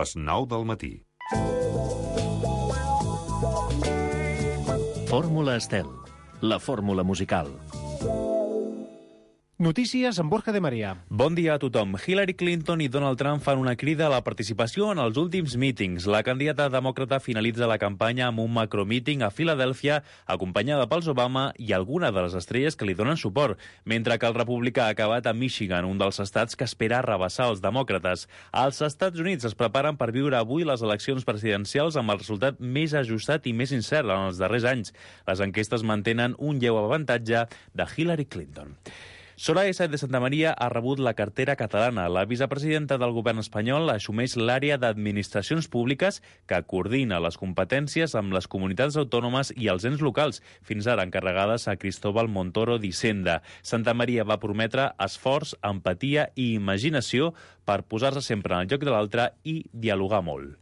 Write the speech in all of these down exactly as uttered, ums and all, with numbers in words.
les nou del matí. Fórmula Estel, la fórmula musical. Notícies amb Borja de Maria. Bon dia a tothom. Hillary Clinton i Donald Trump fan una crida a la participació en els últims mítings. La candidata demòcrata finalitza la campanya amb un macromíting a Filadèlfia, acompanyada pels Obama i alguna de les estrelles que li donen suport, mentre que el republicà ha acabat a Michigan, un dels estats que espera arrabassar els demòcrates. Els Estats Units es preparen per viure avui les eleccions presidencials amb el resultat més ajustat i més incert en els darrers anys. Les enquestes mantenen un lleu avantatge de Hillary Clinton. Soraya Sáenz de Santamaría ha rebut la cartera catalana. La vicepresidenta del govern espanyol assumeix l'àrea d'administracions públiques que coordina les competències amb les comunitats autònomes i els ens locals, fins ara encarregades a Cristóbal Montoro d'Hisenda. Santamaría va prometre esforç, empatia i imaginació per posar-se sempre en el lloc de l'altre i dialogar molt.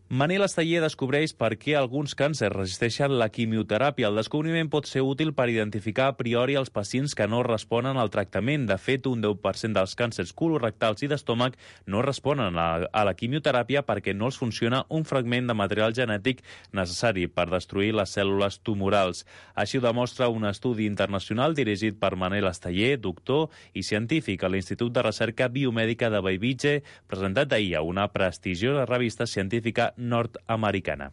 Manel Esteller descobreix per què alguns càncers resisteixen la quimioteràpia. El descobriment pot ser útil per identificar a priori els pacients que no responen al tractament. De fet, un deu per cent dels càncers colorectals i d'estómac no responen a, a la quimioteràpia perquè no els funciona un fragment de material genètic necessari per destruir les cèl·lules tumorals. Així ho demostra un estudi internacional dirigit per Manel Esteller, doctor i científic a l'Institut de Recerca Biomèdica de Bellvitge, presentat ahir a una prestigiosa revista científica nord-americana.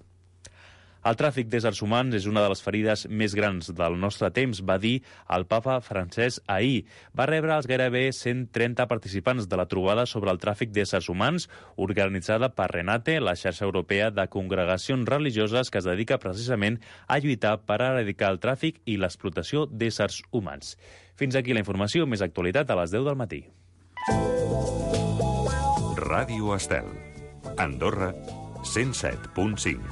El tràfic d'éssers humans és una de les ferides més grans del nostre temps, va dir el papa francès ahir. Va rebre els gairebé cent trenta participants de la trobada sobre el tràfic d'éssers humans, organitzada per Renate, la xarxa europea de congregacions religioses que es dedica precisament a lluitar per erradicar el tràfic i l'explotació d'éssers humans. Fins aquí la informació, més actualitat a les deu del matí. Ràdio Estel. Andorra, cent set punt cinc.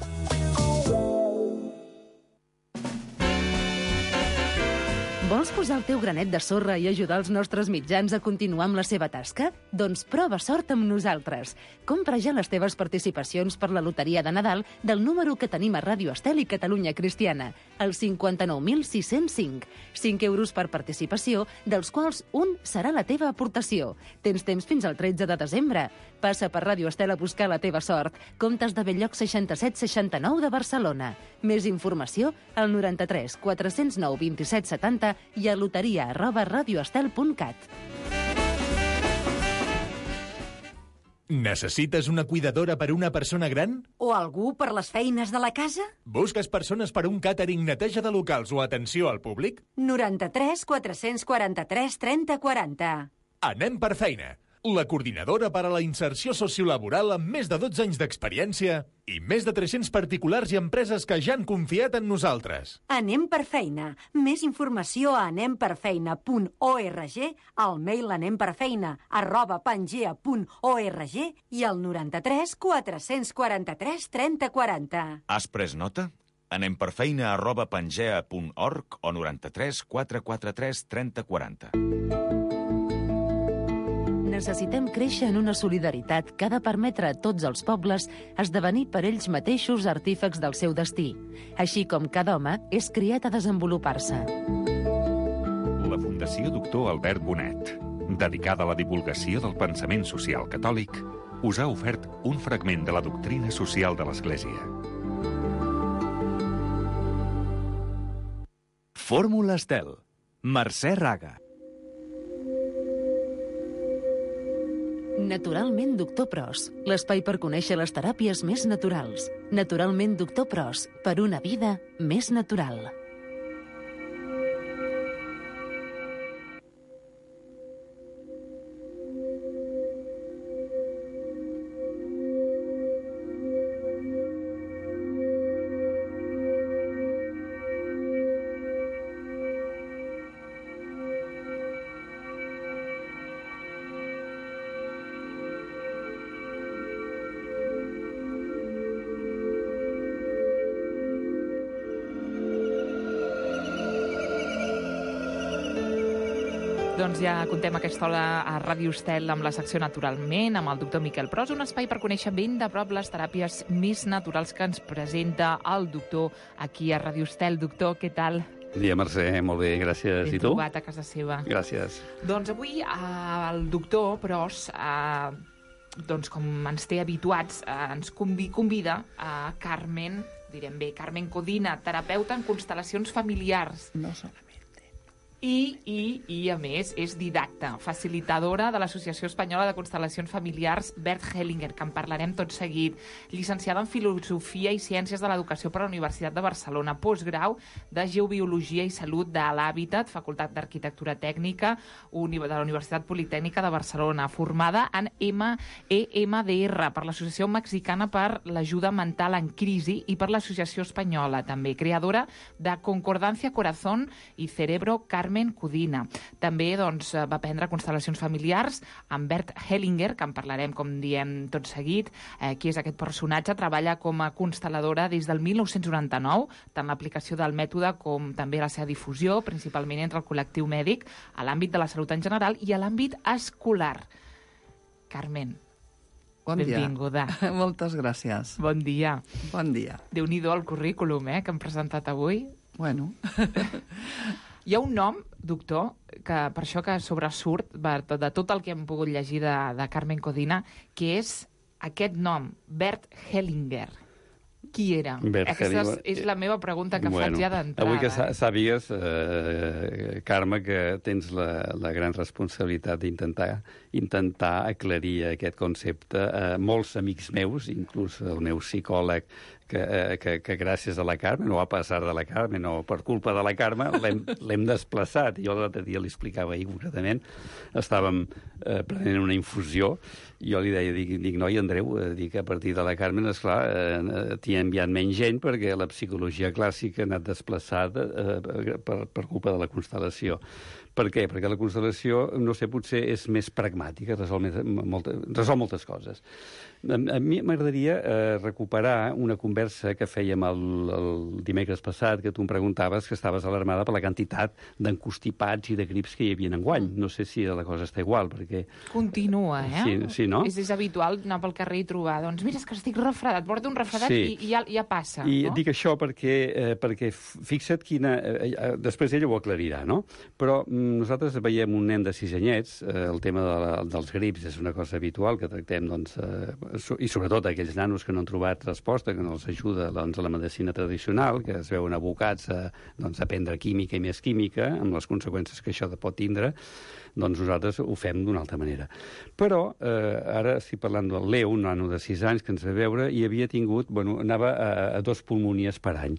Vols posar el teu granet de sorra i ajudar els nostres mitjans a continuar amb la seva tasca? Doncs prova sort amb nosaltres. Compra ja les teves participacions per la loteria de Nadal del número que tenim a Ràdio Estel i Catalunya Cristiana, el cinquanta-nou mil sis-cents cinc. cinc euros per participació, dels quals un serà la teva aportació. Tens temps fins al tretze de desembre. Passa per Ràdio Estel a buscar la teva sort. Comptes de Belllloc seixanta-set seixanta-nou de Barcelona. Més informació al noranta-tres quatre-cents nou vint-i-set setanta i a loteria arroba radioestel punt cat. Necessites una cuidadora per una persona gran? O algú per les feines de la casa? Busques persones per un càtering, neteja de locals o atenció al públic? noranta-tres quatre-cents quaranta-tres trenta quaranta. Anem per feina. La coordinadora per a la inserció sociolaboral amb més de dotze anys d'experiència i més de tres-cents particulars i empreses que ja han confiat en nosaltres. Anem per feina. Més informació a anem per feina punt org, al mail anemperfeina arroba pangea punt org i al noranta-tres quatre-cents quaranta-tres trenta quaranta. Has pres nota? Anem per feina arroba pangea punt org o noranta-tres quatre-cents quaranta-tres trenta quaranta. Necessitem créixer en una solidaritat que ha de permetre a tots els pobles esdevenir per ells mateixos artífecs del seu destí, així com cada home és criat a desenvolupar-se. La Fundació Doctor Albert Bonet, dedicada a la divulgació del pensament social catòlic, us ha ofert un fragment de la doctrina social de l'Església. Fórmula Estel. Mercè Raga. Naturalment Doctor Pros, l'espai per conèixer les teràpies més naturals. Naturalment Doctor Pros, per una vida més natural. Doncs ja contem aquesta hora a Ràdio Estel amb la secció Naturalment, amb el doctor Miquel Pros, un espai per conèixer ben de prop les teràpies més naturals que ens presenta el doctor aquí a Ràdio Estel. Doctor, què tal? Bon dia, Mercè, molt bé, gràcies. Ben I tu? trobat a casa seva. Gràcies. Doncs avui eh, el doctor Pros eh, doncs, com ens té habituats, eh, ens convi convida a Carmen, direm bé, Carmen Codina, terapeuta en constel·lacions familiars. No solament. I, i, i, a més, és didacta, facilitadora de l'Associació Espanyola de Constel·lacions Familiars Bert Hellinger, que en parlarem tot seguit, llicenciada en Filosofia i Ciències de l'Educació per la Universitat de Barcelona, postgrau de Geobiologia i Salut de l'Hàbitat, Facultat d'Arquitectura Tècnica de la Universitat Politècnica de Barcelona, formada en M E M D R per l'Associació Mexicana per l'Ajuda Mental en Crisi i per l'Associació Espanyola, també, creadora de Concordancia Corazón i Cerebro Carmen Codina. També doncs, va aprendre constel·lacions familiars amb Bert Hellinger, que en parlarem, com diem, tot seguit. Eh, qui és aquest personatge? Treballa com a constel·ladora des del mil nou-cents noranta-nou, tant l'aplicació del mètode com també la seva difusió, principalment entre el col·lectiu mèdic, a l'àmbit de la salut en general i a l'àmbit escolar. Carmen, bon benvinguda. Dia. Moltes gràcies. Bon dia. Bon dia. Déu-n'hi-do el currículum, eh, que hem presentat avui. Bueno... Hi ha un nom, doctor, que per això que sobresurt de tot el que hem pogut llegir de, de Carmen Codina, que és aquest nom, Bert Hellinger. Qui era? Bert Aquesta Hellinger. és la meva pregunta que bueno, faig ja d'entrada. Avui que sàpigues, eh, Carme, que tens la, la gran responsabilitat d'intentar intentar aclarir aquest concepte. Eh, molts amics meus, inclús el meu psicòleg, que, eh, que, que gràcies a la Carme, no a passar de la Carme, no per culpa de la Carme, l'hem desplaçat. Jo l'altre dia li explicava ahir concretament, estàvem eh, prenent una infusió, i jo li deia, dic, dic noi, Andreu, eh, dic, a partir de la Carme, esclar, eh, t'hi ha enviat menys gent perquè la psicologia clàssica ha anat desplaçada eh, per, per culpa de la constel·lació. Per què? Perquè la constel·lació, no sé, potser és més pragmàtica, resol, més, molta, resol moltes coses. A, a mi m'agradaria eh, recuperar una conversa que fèiem el, el dimecres passat, que tu em preguntaves que estaves alarmada per la quantitat d'encostipats i de grips que hi havia enguany. No sé si la cosa està igual, perquè... Continua, eh? Sí, sí, no? És, és habitual anar pel carrer i trobar, doncs mira, és que estic refredat, porto un refredat sí. i, i ja, ja passa. I no? dic això perquè, eh, perquè fixa't quina... Eh, eh, després ella ho aclarirà, no? Però nosaltres veiem un nen de sis anyets, eh, el tema de la, dels grips és una cosa habitual que tractem, doncs, eh, i sobretot aquells nanos que no han trobat resposta, que no els ajuda doncs, a la medicina tradicional, que es veuen abocats a, doncs, a prendre química i més química, amb les conseqüències que això pot tindre, doncs nosaltres ho fem d'una altra manera. Però eh, ara estic parlant del Leo, un nano de sis anys que ens ve veure, i havia tingut, bueno, anava a, a dos pulmonies per any.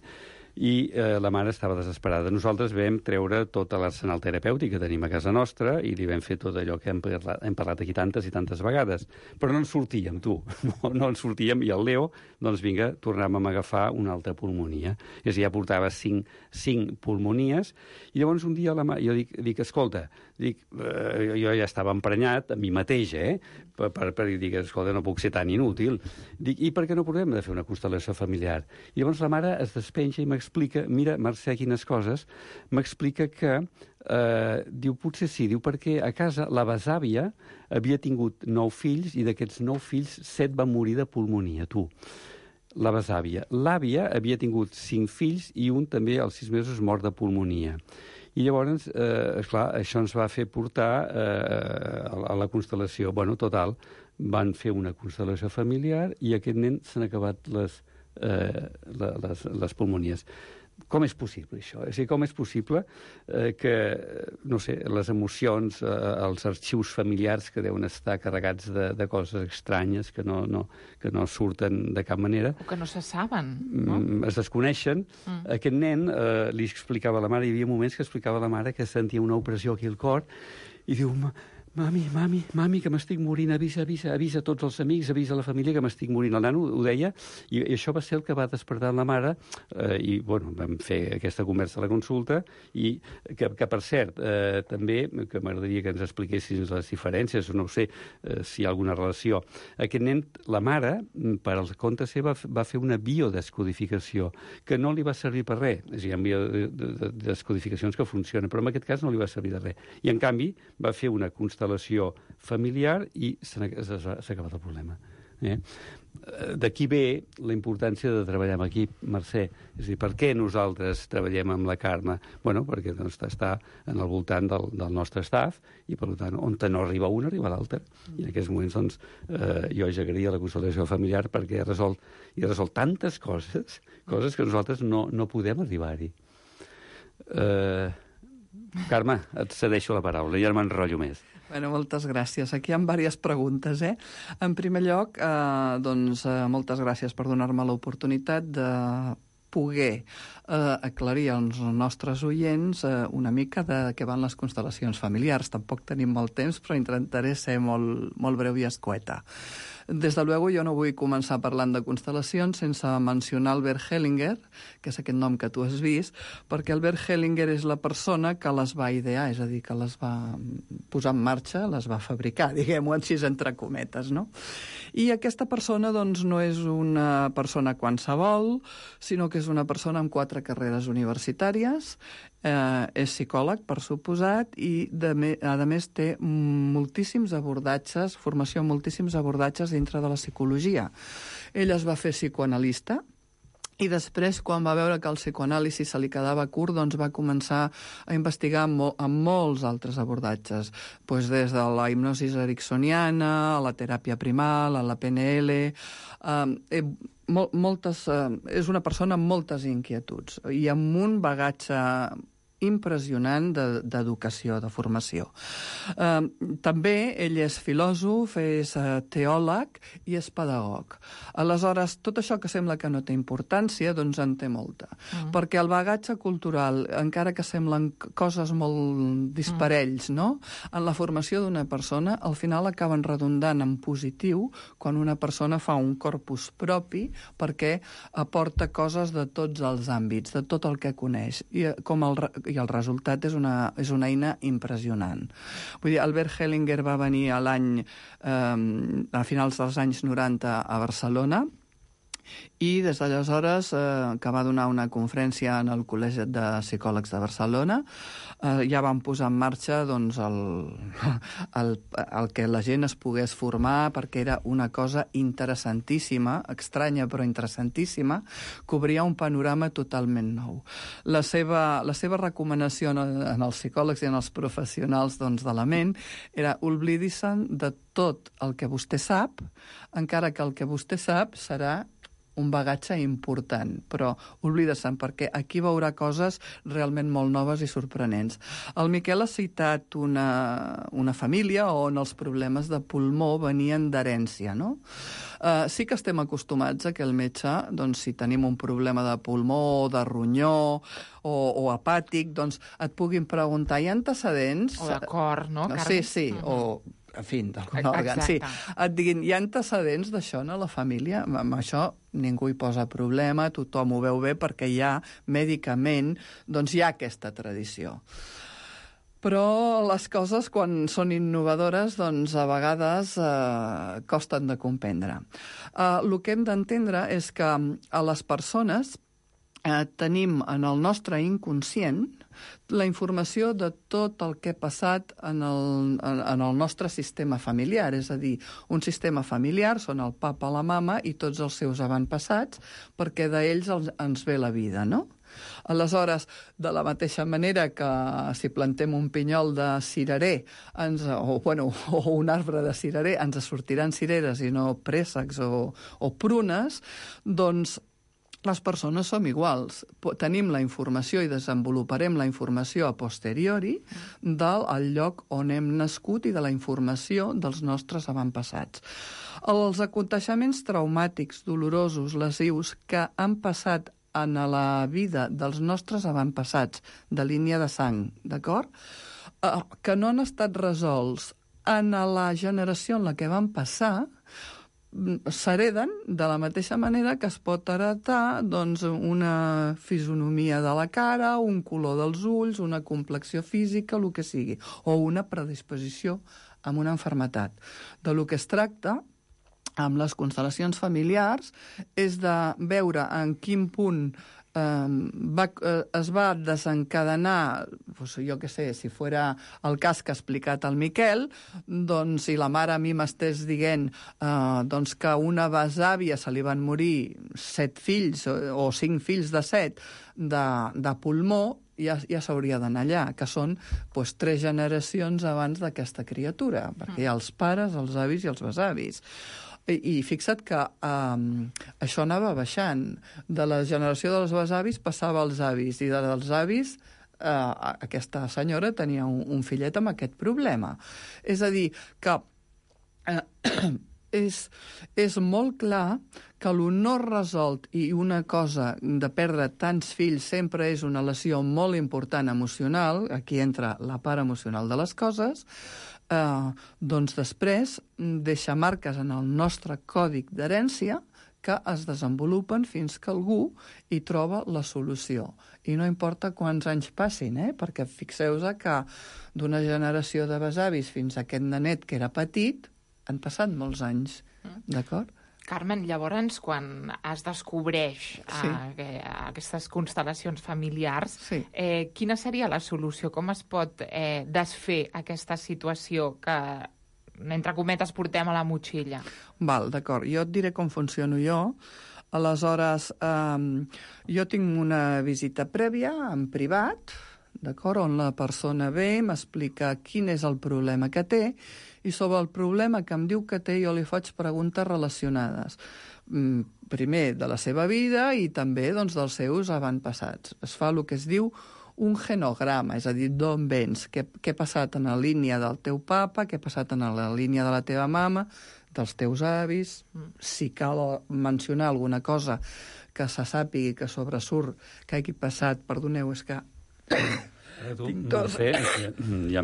I eh, la mare estava desesperada. Nosaltres vam treure tot l'arsenal terapèutic que tenim a casa nostra i li vam fer tot allò que hem parlat, hem parlat aquí tantes i tantes vegades. Però no en sortíem, tu. No, no en sortíem. I el Leo, doncs vinga, tornàvem a agafar una altra pulmonia. És a dir, ja portava cinc, cinc pulmonies. I llavors un dia la ma... jo dic, dic escolta, dic, eh, jo ja estava emprenyat a mi mateix, eh? Per, per, per dir, escolta, no puc ser tan inútil. Dic, i per què no provem de fer una constel·lació familiar? I llavors la mare es despenja i m'explica, mira, Mercè, quines coses, m'explica que, eh, diu, potser sí, diu, perquè a casa la besàvia havia tingut nou fills i d'aquests nou fills, set van morir de pulmonia, tu. La besàvia. L'àvia havia tingut cinc fills i un també als sis mesos mort de pulmonia. I llavors, eh, esclar, això ens va fer portar eh, a la constel·lació. Bueno, total, van fer una constel·lació familiar i aquest nen s'han acabat les, eh, les, les pulmonies. Com és possible, això? És a dir, com és possible eh, que, no sé, les emocions, eh, els arxius familiars que deuen estar carregats de, de coses estranyes que no, no, que no surten de cap manera... O que no se saben, no? Mm, es desconeixen. Mm. Aquest nen eh, li explicava a la mare, hi havia moments que explicava a la mare que sentia una opressió aquí al cor i diu... Mami, mami, mami, que m'estic morint, avisa, avisa, avisa a tots els amics, avisa a la família que m'estic morint. El nano ho deia, i, i això va ser el que va despertar la mare, eh, i, bueno, vam fer aquesta conversa a la consulta, i que, que per cert, eh, també, que m'agradaria que ens expliquessis les diferències, no sé eh, si hi ha alguna relació. Aquest nen, la mare, per al compte seu, va, va fer una biodescodificació, que no li va servir per res. És a dir, hi ha biodescodificacions que funcionen, però en aquest cas no li va servir de res. I, en canvi, va fer una constel·lació familiar i s'ha acabat el problema. Eh? D'aquí ve la importància de treballar amb equip, Mercè. És a dir, per què nosaltres treballem amb la Carme? Bueno, perquè doncs, està en el voltant del, del nostre staff i, per tant, on no arriba un, arriba l'altre. I en aquests moments, doncs, eh, jo ja agraïa la constel·lació familiar perquè ha resolt, i ha resolt tantes coses, coses que nosaltres no, no podem arribar-hi. Eh, Carme, et cedeixo la paraula, ja no m'enrotllo més. Bueno, moltes gràcies. Aquí hi ha diverses preguntes, eh? En primer lloc, eh, doncs, eh, moltes gràcies per donar-me l'oportunitat de poder eh, aclarir als nostres oients eh, una mica de què van les constel·lacions familiars. Tampoc tenim molt temps, però intentaré ser molt, molt breu i escueta. Des de luego, jo no vull començar parlant de constel·lacions sense mencionar Albert Hellinger, que és aquest nom que tu has vist, perquè Albert Hellinger és la persona que les va idear, és a dir, que les va posar en marxa, les va fabricar, diguem-ho així entre cometes, no? I aquesta persona, doncs, no és una persona qualsevol, sinó que és una persona amb quatre carreres universitàries, eh, és psicòleg, per suposat, i de me, a més té moltíssims abordatges, formació en moltíssims abordatges dintre de la psicologia. Ell es va fer psicoanalista, i després, quan va veure que el psicoanàlisi se li quedava curt, doncs va començar a investigar amb, mol amb molts altres abordatges, pues des de la hipnosi ericksoniana, a la teràpia primal, a la P N L... Eh, mol moltes, eh, és una persona amb moltes inquietuds i amb un bagatge impressionant d'educació, de, de formació. Eh, també ell és filòsof, és eh, teòleg i és pedagog. Aleshores, tot això que sembla que no té importància, doncs en té molta. Mm. Perquè el bagatge cultural, encara que semblen coses molt disparells, mm. no? En la formació d'una persona, al final acaben redundant en positiu quan una persona fa un corpus propi perquè aporta coses de tots els àmbits, de tot el que coneix. I, com el, i el resultat és una, és una eina impressionant. Vull dir, Albert Hellinger va venir a l'any, eh, a finals dels anys noranta a Barcelona, i des d'aleshores, eh, que va donar una conferència en el Col·legi de Psicòlegs de Barcelona, eh, ja van posar en marxa doncs, el, el, el que la gent es pogués formar, perquè era una cosa interessantíssima, estranya però interessantíssima, que obria un panorama totalment nou. La seva, la seva recomanació en, en els psicòlegs i en els professionals doncs, de la ment era oblidar-se'n de tot el que vostè sap, encara que el que vostè sap serà un bagatge important, però oblida-se'n, perquè aquí veurà coses realment molt noves i sorprenents. El Miquel ha citat una, una família on els problemes de pulmó venien d'herència, no? Uh, sí que estem acostumats a que el metge, doncs, si tenim un problema de pulmó, de ronyó o, o hepàtic, doncs et puguin preguntar, hi ha antecedents? O de cor, no, Carme? Sí, sí, uh-huh. o... en fi, d'algun òrgan, sí. Et diguin, hi ha antecedents d'això a la família? Amb això ningú hi posa problema, tothom ho veu bé perquè hi ha, mèdicament, doncs hi ha aquesta tradició. Però les coses, quan són innovadores, doncs a vegades eh, costen de comprendre. Eh, el que hem d'entendre és que a les persones eh, tenim en el nostre inconscient la informació de tot el que ha passat en el, en, en el nostre sistema familiar, és a dir, un sistema familiar són el papa, la mama i tots els seus avantpassats, perquè d'ells ens ve la vida, no? Aleshores, de la mateixa manera que si plantem un pinyol de cirerer ens, o, bueno, o un arbre de cirerer ens sortiran cireres i no préssecs o, o prunes, doncs les persones som iguals. Tenim la informació i desenvoluparem la informació a posteriori del lloc on hem nascut i de la informació dels nostres avantpassats. Els aconteixements traumàtics, dolorosos, lesius que han passat en la vida dels nostres avantpassats de línia de sang, d'acord? Que no han estat resolts en la generació en la que van passar, s'hereden de la mateixa manera que es pot heretar doncs, una fisonomia de la cara, un color dels ulls, una complexió física, el que sigui, o una predisposició amb una malaltia. De lo que es tracta amb les constel·lacions familiars és de veure en quin punt va, es va desencadenar, doncs, jo què sé, si fora el cas que ha explicat el Miquel, doncs si la mare a mi m'estés dient eh, doncs que a una besàvia se li van morir set fills o, o cinc fills de set de, de pulmó, ja, ja s'hauria d'anar allà, que són doncs, tres generacions abans d'aquesta criatura, perquè hi ha els pares, els avis i els besavis. I, i fixa't que um, això anava baixant. De la generació dels besavis passava als avis, i dels avis uh, aquesta senyora tenia un, un fillet amb aquest problema. És a dir, que uh, és, és molt clar que el no resolt i una cosa de perdre tants fills sempre és una lesió molt important emocional, aquí entra la part emocional de les coses, eh, doncs després deixa marques en el nostre còdic d'herència que es desenvolupen fins que algú hi troba la solució. I no importa quants anys passin, eh? Perquè fixeu-vos que d'una generació de besavis fins a aquest nenet que era petit han passat molts anys, d'acord? Carmen, llavors, quan es descobreix sí. eh, aquestes constel·lacions familiars, sí. eh, quina seria la solució? Com es pot eh, desfer aquesta situació que, entre cometes, portem a la motxilla? Val, d'acord. Jo et diré com funciono jo. Aleshores, eh, jo tinc una visita prèvia en privat, d'acord, on la persona ve, m'explica quin és el problema que té, i sobre el problema que em diu que té jo li faig preguntes relacionades. Primer, de la seva vida i també doncs, dels seus avantpassats. Es fa el que es diu un genograma, és a dir, d'on vens, què, què ha passat en la línia del teu papa, què ha passat en la línia de la teva mama, dels teus avis, si cal mencionar alguna cosa que se sàpigui que sobresurt que hagi passat, perdoneu, és que... Tu, no sé, ja,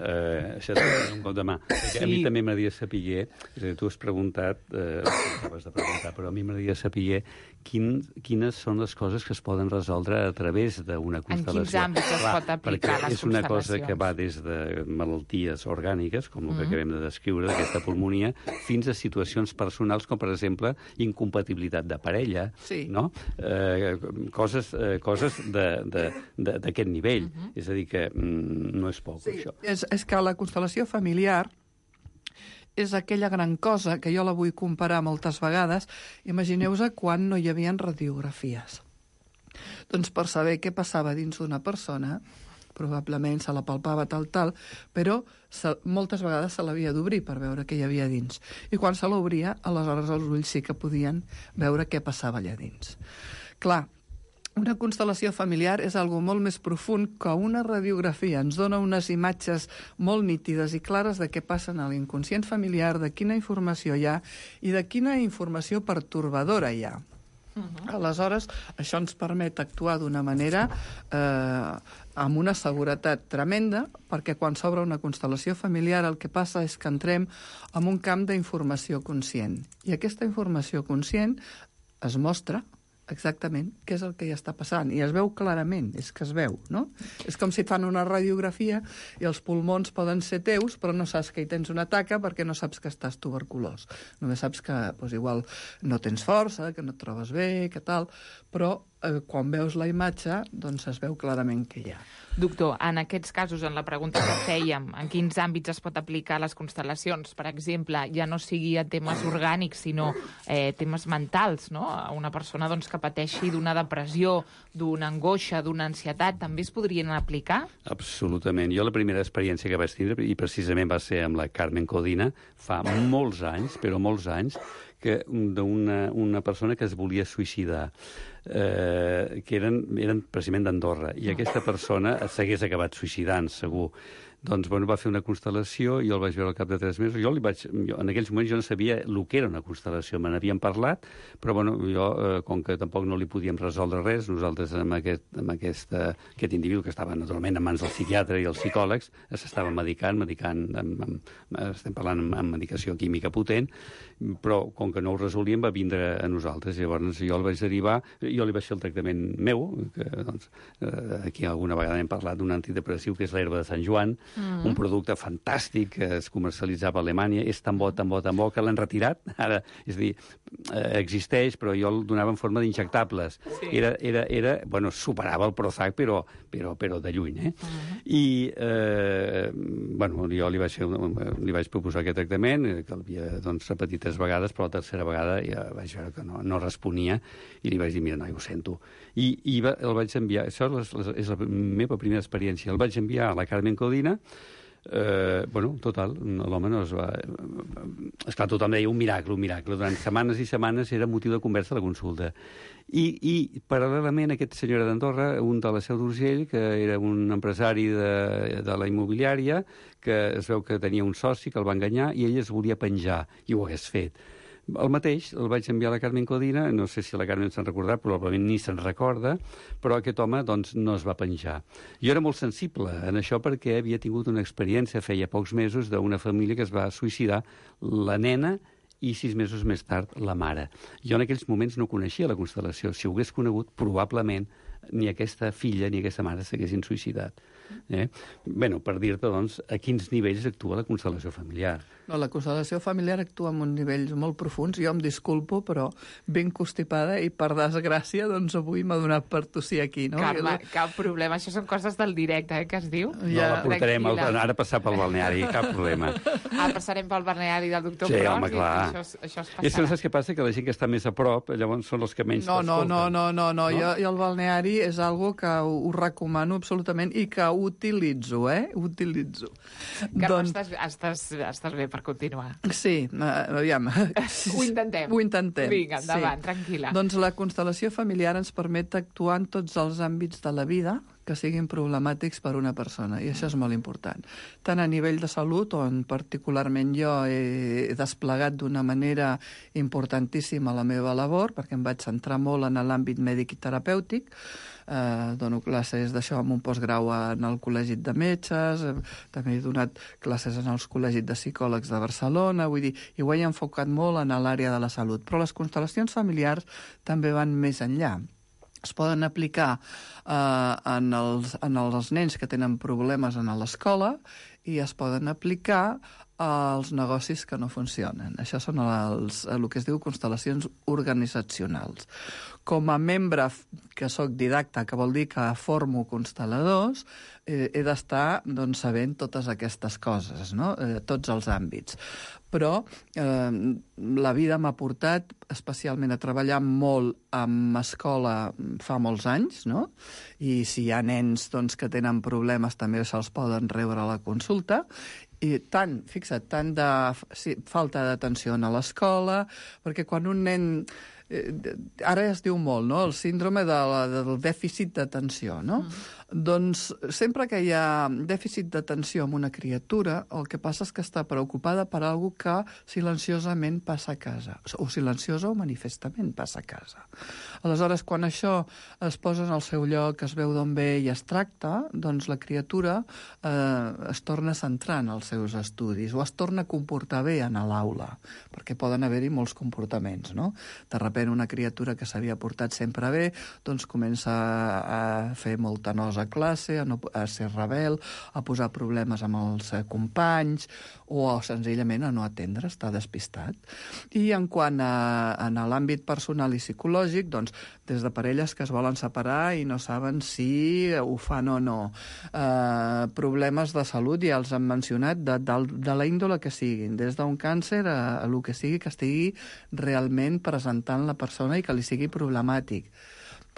eh, això t'ho un cop de mà. Sí. A mi també m'agradaria saber, és a dir, tu has preguntat, eh, has de preguntar, però a mi m'agradaria saber quin, quines són les coses que es poden resoldre a través d'una constel·lació. En quins àmbits es pot aplicar les és una cosa que va des de malalties orgàniques, com el que mm. acabem de descriure, d'aquesta pulmonia, fins a situacions personals, com per exemple incompatibilitat de parella, sí. no? Eh, coses, eh, coses d'aquest nivell. Mm-hmm. És a dir, que mm, no és poc, sí, això. És, és que la constel·lació familiar és aquella gran cosa que jo la vull comparar moltes vegades. Imagineu-vos quan no hi havia radiografies. Doncs per saber què passava dins d'una persona, probablement se la palpava tal, tal, però se, moltes vegades se l'havia d'obrir per veure què hi havia dins. I quan se l'obria, aleshores els ulls sí que podien veure què passava allà dins. Clar, una constel·lació familiar és algo molt més profund que una radiografia. Ens dona unes imatges molt nítides i clares de què passa en l'inconscient familiar, de quina informació hi ha i de quina informació pertorbadora hi ha. Uh-huh. Aleshores, això ens permet actuar d'una manera eh, amb una seguretat tremenda, perquè quan s'obre una constel·lació familiar el que passa és que entrem en un camp d'informació conscient. I aquesta informació conscient es mostra exactament què és el que hi està passant. I es veu clarament, és que es veu, no? És com si et fan una radiografia i els pulmons poden ser teus, però no saps que hi tens una taca perquè no saps que estàs tuberculós. Només saps que doncs, igual no tens força, que no et trobes bé, que tal, però eh, quan veus la imatge, doncs es veu clarament què hi ha. Doctor, en aquests casos, en la pregunta que fèiem, en quins àmbits es pot aplicar les constel·lacions, per exemple, ja no sigui a temes orgànics, sinó eh, temes mentals, no? Una persona doncs, que pateixi d'una depressió, d'una angoixa, d'una ansietat, també es podrien aplicar? Absolutament. Jo la primera experiència que vaig tindre, i precisament va ser amb la Carmen Codina, fa molts anys, però molts anys, que d'una una persona que es volia suïcidar, eh, que eren, eren precisament d'Andorra, i aquesta persona s'hagués acabat suïcidant, segur. Doncs bueno, va fer una constel·lació, jo el vaig veure al cap de tres mesos, jo li vaig, jo, en aquells moments jo no sabia el que era una constel·lació, me n'havien parlat, però bueno, jo, eh, com que tampoc no li podíem resoldre res, nosaltres amb, aquest, amb aquesta, aquest individu que estava naturalment en mans del psiquiatre i els psicòlegs, s'estava medicant, medicant amb, amb, estem parlant amb, amb medicació química potent, però com que no ho resolíem va vindre a nosaltres, llavors jo el vaig derivar, jo li vaig fer el tractament meu, que doncs, eh, aquí alguna vegada hem parlat d'un antidepressiu que és l'herba de Sant Joan, Mm. un producte fantàstic que es comercialitzava a Alemanya, és tan bo, tan bo, tan bo, que l'han retirat. Ara, és a dir, eh, existeix, però jo el donava en forma d'injectables. Sí. Era, era, era, bueno, superava el Prozac, però, però, però de lluny, eh? Uh -huh. I, eh, bueno, jo li vaig, fer, li vaig proposar aquest tractament, que l'havia doncs, repetit tres vegades, però la tercera vegada ja vaig veure que no, no responia, i li vaig dir, mira, no, ho sento. I, i va, el vaig enviar, això és la, és la meva primera experiència, el vaig enviar a la Carmen Codina. Eh, bueno, total, l'home no es va... Esclar, tothom deia un miracle, un miracle. Durant setmanes i setmanes era motiu de conversa a la consulta. I, i paral·lelament, aquest senyor d'Andorra, un de la Seu d'Urgell, que era un empresari de, de la immobiliària, que es veu que tenia un soci que el va enganyar i ell es volia penjar, i ho hagués fet. El mateix el vaig enviar a la Carmen Codina, no sé si la Carmen se'n recordarà, probablement ni se'n recorda, però aquest home doncs, no es va penjar. Jo era molt sensible en això perquè havia tingut una experiència feia pocs mesos d'una família que es va suïcidar, la nena i sis mesos més tard la mare. Jo en aquells moments no coneixia la constel·lació. Si ho hagués conegut, probablement ni aquesta filla ni aquesta mare s'haguessin suïcidat. Eh? Bé, per dir-te, doncs, a quins nivells actua la constel·lació familiar. No, la constel·lació familiar actua en uns nivells molt profuns. Jo em disculpo, però ben constipada i, per desgràcia, doncs avui m'ha donat per tossir aquí. No? Carme, cap problema. Això són coses del directe, eh, que es diu. No, ja, la portarem al, ara a passar pel balneari, cap problema. Ara passarem pel balneari del doctor sí, Pros. Home, clar. Això, això es I és que no saps què passa? Que la gent que està més a prop, llavors són els que menys no, no, t'escolten. no, no, no, no. Jo, jo el balneari és algo que ho, ho recomano absolutament i que utilitzo, eh? Utilitzo. Carme, doncs... estàs, estàs, estàs bé per continuar. Sí, uh, aviam. Ho intentem. Ho intentem. Vinga, endavant, sí. Tranquil·la. Doncs la constel·lació familiar ens permet actuar en tots els àmbits de la vida que siguin problemàtics per una persona, i això és molt important. Tant a nivell de salut, on particularment jo he desplegat d'una manera importantíssima la meva labor, perquè em vaig centrar molt en l'àmbit mèdic i terapèutic, eh, dono classes d'això amb un postgrau en el Col·legi de Metges, eh, també he donat classes en els col·legis de psicòlegs de Barcelona, vull dir, i ho he enfocat molt en l'àrea de la salut. Però les constel·lacions familiars també van més enllà. Es poden aplicar eh, en, els, en els nens que tenen problemes a l'escola i es poden aplicar als negocis que no funcionen. Això són els, el que es diu constel·lacions organitzacionals. Com a membre que sóc didacta, que vol dir que formo constel·ladors, eh, he d'estar doncs, sabent totes aquestes coses, no? eh, tots els àmbits. Però eh, la vida m'ha portat especialment a treballar molt amb escola fa molts anys, no? I si hi ha nens doncs, que tenen problemes també se'ls poden rebre a la consulta, i tant, fixa't, tant de sí, falta d'atenció a l'escola, perquè quan un nen... Eh, ara es diu molt, no?, el síndrome de la, del dèficit d'atenció, no? Mm. Doncs sempre que hi ha dèficit d'atenció amb una criatura, el que passa és que està preocupada per alguna que silenciosament passa a casa, o silenciosa o manifestament passa a casa. Aleshores, quan això es posa en el seu lloc, es veu d'on ve i es tracta, doncs la criatura eh, es torna a centrar en els seus estudis o es torna a comportar bé en l'aula, perquè poden haver-hi molts comportaments, no? De sobretot una criatura que s'havia portat sempre bé, doncs comença a fer molta nosa a classe, a, no, a ser rebel, a posar problemes amb els companys, o senzillament a no atendre, estar despistat. I en quant a, a l'àmbit personal i psicològic, doncs, des de parelles que es volen separar i no saben si ho fan o no. Eh, problemes de salut, ja els han mencionat, de, de, de la índole que siguin, des d'un càncer a, a el que sigui que estigui realment presentant la persona i que li sigui problemàtic.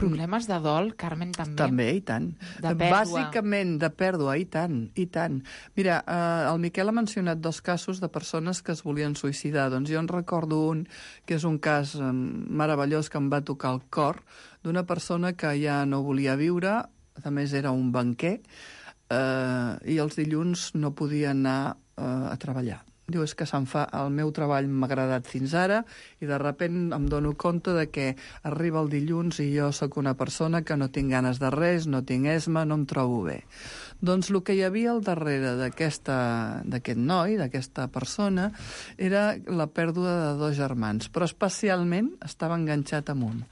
Problemes de dol, Carmen, també? També, i tant. De pèrdua. Bàsicament, de pèrdua, i tant, i tant. Mira, eh, el Miquel ha mencionat dos casos de persones que es volien suïcidar. Doncs jo en recordo un, que és un cas eh, meravellós que em va tocar el cor, d'una persona que ja no volia viure, a més era un banquer, eh, i els dilluns no podia anar eh, a treballar. Diu, és que se'n fa, el meu treball m'ha agradat fins ara i de repent em dono compte de que arriba el dilluns i jo sóc una persona que no tinc ganes de res, no tinc esma, no em trobo bé. Doncs el que hi havia al darrere d'aquest noi, d'aquesta persona, era la pèrdua de dos germans, però especialment estava enganxat amb un.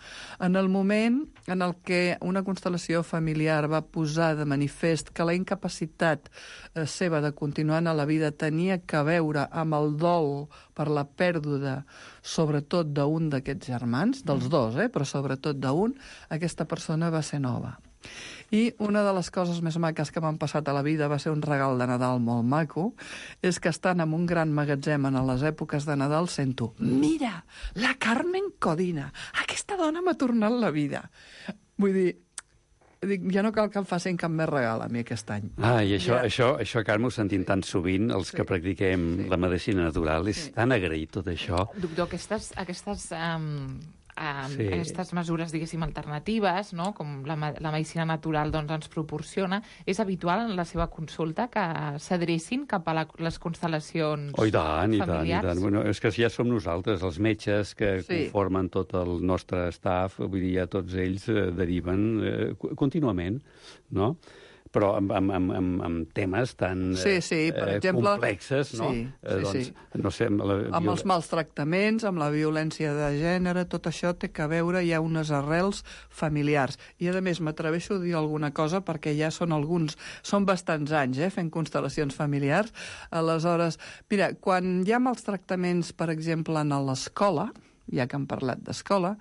En el moment en el que una constel·lació familiar va posar de manifest que la incapacitat eh, seva de continuar a la vida tenia que veure amb el dol per la pèrdua, sobretot d'un d'aquests germans, dels dos, eh, però sobretot d'un, aquesta persona va ser nova. I una de les coses més maques que m'han passat a la vida va ser un regal de Nadal molt maco, és que estant en un gran magatzem en les èpoques de Nadal sento: mira, la Carmen Codina, aquesta dona m'ha tornat la vida. Vull dir, dic, ja no cal que em facin cap més regal a mi aquest any. Ah, i això, ja. això, això Carme, ho sentim tan sovint, els sí. que practiquem sí. la medicina natural. És sí. tan agraït tot això. Doctor, aquestes, aquestes um, um, sí. aquestes mesures, diguéssim, alternatives, no?, com la, la medicina natural doncs, ens proporciona, és habitual en la seva consulta que s'adrecin cap a la, les constel·lacions oh, i tant, familiars? I tant, i tant. Bueno, és que ja som nosaltres, els metges que sí. conformen tot el nostre staff, vull dir, ja tots ells eh, deriven eh, contínuament, no?, però amb, amb, amb, amb, amb temes tan sí, sí, per eh, exemple, complexes, no? Sí, sí, eh, doncs, sí. no sé, amb, la, amb els mals tractaments, amb la violència de gènere, tot això té que veure, hi ha unes arrels familiars. I, a més, m'atreveixo a dir alguna cosa perquè ja són alguns, són bastants anys, eh, fent constel·lacions familiars. Aleshores, mira, quan hi ha mals tractaments, per exemple, en l'escola, ja que hem parlat d'escola,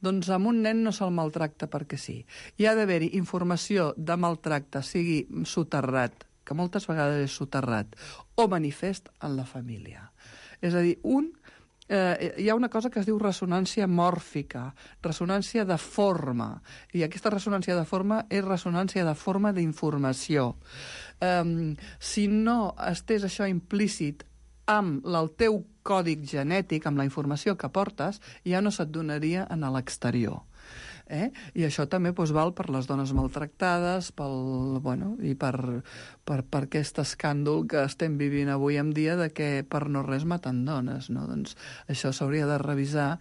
doncs amb un nen no se'l maltracta perquè sí. Hi ha d'haver-hi informació de maltracte, sigui soterrat, que moltes vegades és soterrat, o manifest en la família. És a dir, un, eh, hi ha una cosa que es diu ressonància mòrfica, ressonància de forma, i aquesta ressonància de forma és ressonància de forma d'informació. Eh, si no estés això implícit amb el teu còdic genètic, amb la informació que portes, ja no se't donaria en l'exterior. Eh? I això també doncs, val per les dones maltractades, pel, bueno, i per, per, per aquest escàndol que estem vivint avui en dia de que per no res maten dones. No? Doncs això s'hauria de revisar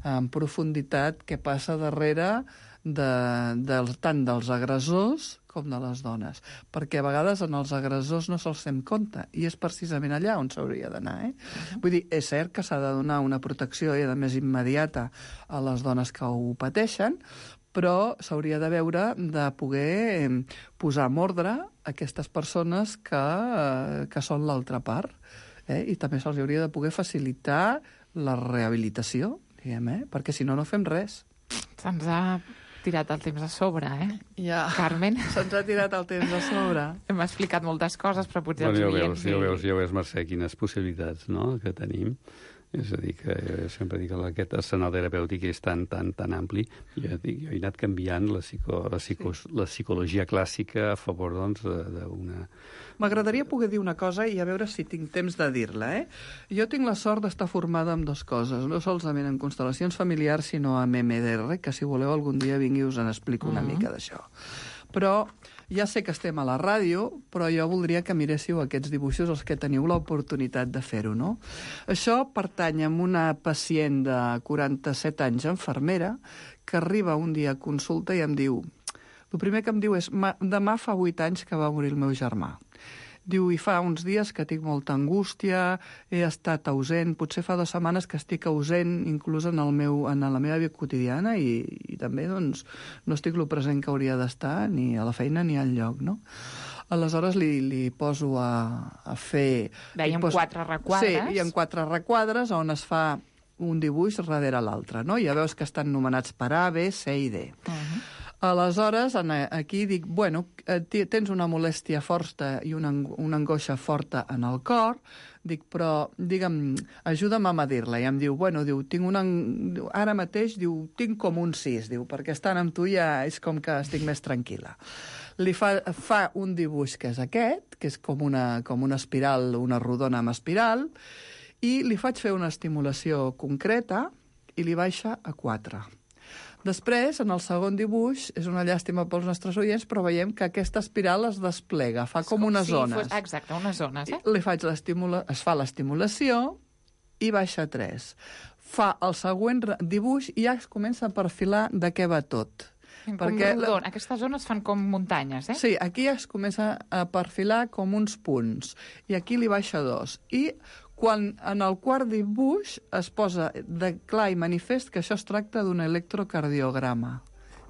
en profunditat què passa darrere de, de, tant dels agressors com de les dones, perquè a vegades en els agressors no se'ls fem compte, i és precisament allà on s'hauria d'anar. Eh? Uh-huh. Vull dir, és cert que s'ha de donar una protecció, i a més immediata, a les dones que ho pateixen, però s'hauria de veure de poder posar en ordre aquestes persones que, que són l'altra part, eh? I també se'ls hauria de poder facilitar la rehabilitació, diguem, eh? Perquè si no, no fem res. Se'ns ha tirat el temps a sobre, eh? Ja. Carmen? Se'ns ha tirat el temps a sobre. Hem explicat moltes coses, però potser bueno, els ja oients... Veus, ja veus, ja veus, Mercè, quines possibilitats, no?, que tenim. És a dir, que jo sempre dic que aquest arsenal terapèutic és tan, tan, tan ampli. Jo, dic, jo he anat canviant la, psico, la, psico, sí. la psicologia clàssica a favor, doncs, d'una... M'agradaria poder dir una cosa i a veure si tinc temps de dir-la, eh? Jo tinc la sort d'estar formada en dues coses, no solament en constel·lacions familiars, sinó en M D R, que si voleu algun dia vingui us en explico una uh-huh. mica d'això. Però ja sé que estem a la ràdio, però jo voldria que miréssiu aquests dibuixos, els que teniu l'oportunitat de fer-ho, no? Això pertany a una pacient de quaranta-set anys, infermera, que arriba un dia a consulta i em diu... El primer que em diu és, demà fa vuit anys que va morir el meu germà. Diu, i fa uns dies que tinc molta angústia, he estat ausent, potser fa dues setmanes que estic ausent, inclús en, el meu, en la meva vida quotidiana, i, i també doncs, no estic lo present que hauria d'estar, ni a la feina ni al lloc, no? Aleshores li, li poso a, a fer... Dèiem poso... quatre requadres. Sí, hi ha quatre requadres on es fa un dibuix darrere l'altre, no? Ja veus que estan nomenats per A, B, C i D. Uh-huh. Aleshores, aquí dic, bueno, tens una molèstia forta i una, una angoixa forta en el cor, dic, però, digue'm, ajuda'm a medir-la. I em diu, bueno, diu, tinc una... ara mateix, diu, tinc com un sis, diu, perquè estant amb tu ja és com que estic més tranquil·la. Li fa, fa un dibuix que és aquest, que és com una, com una espiral, una rodona amb espiral, i li faig fer una estimulació concreta i li baixa a quatre. Després, en el segon dibuix, és una llàstima pels nostres oients, però veiem que aquesta espiral es desplega, fa com, com unes si zones. Fos, exacte, unes zones, eh? Li faig l'estimula... Es fa l'estimulació i baixa tres. Fa el següent dibuix i ja es comença a perfilar de què va tot. Com Perquè la- rodon. Aquestes zones fan com muntanyes, eh? Sí, aquí es comença a perfilar com uns punts, i aquí li baixa dos. I quan en el quart dibuix es posa de clar i manifest que això es tracta d'un electrocardiograma.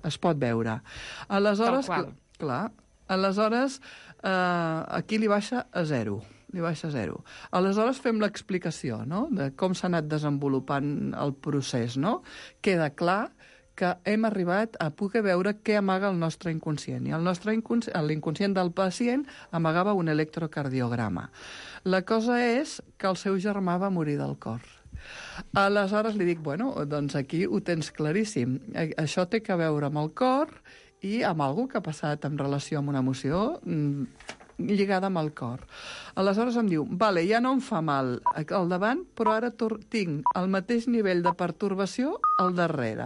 Es pot veure. Aleshores, Tal qual. cl- clar, aleshores eh, aquí li baixa a zero. Li baixa a zero. Aleshores fem l'explicació, no?, de com s'ha anat desenvolupant el procés, no? Queda clar que hem arribat a poder veure què amaga el nostre inconscient. I el nostre inconscient, l'inconscient del pacient amagava un electrocardiograma. La cosa és que el seu germà va morir del cor. Aleshores li dic, bueno, doncs aquí ho tens claríssim. A- Això té que veure amb el cor i amb algú que ha passat en relació amb una emoció mm, lligada amb el cor. Aleshores em diu, vale, ja no em fa mal al davant, però ara tor- tinc el mateix nivell de pertorbació al darrere.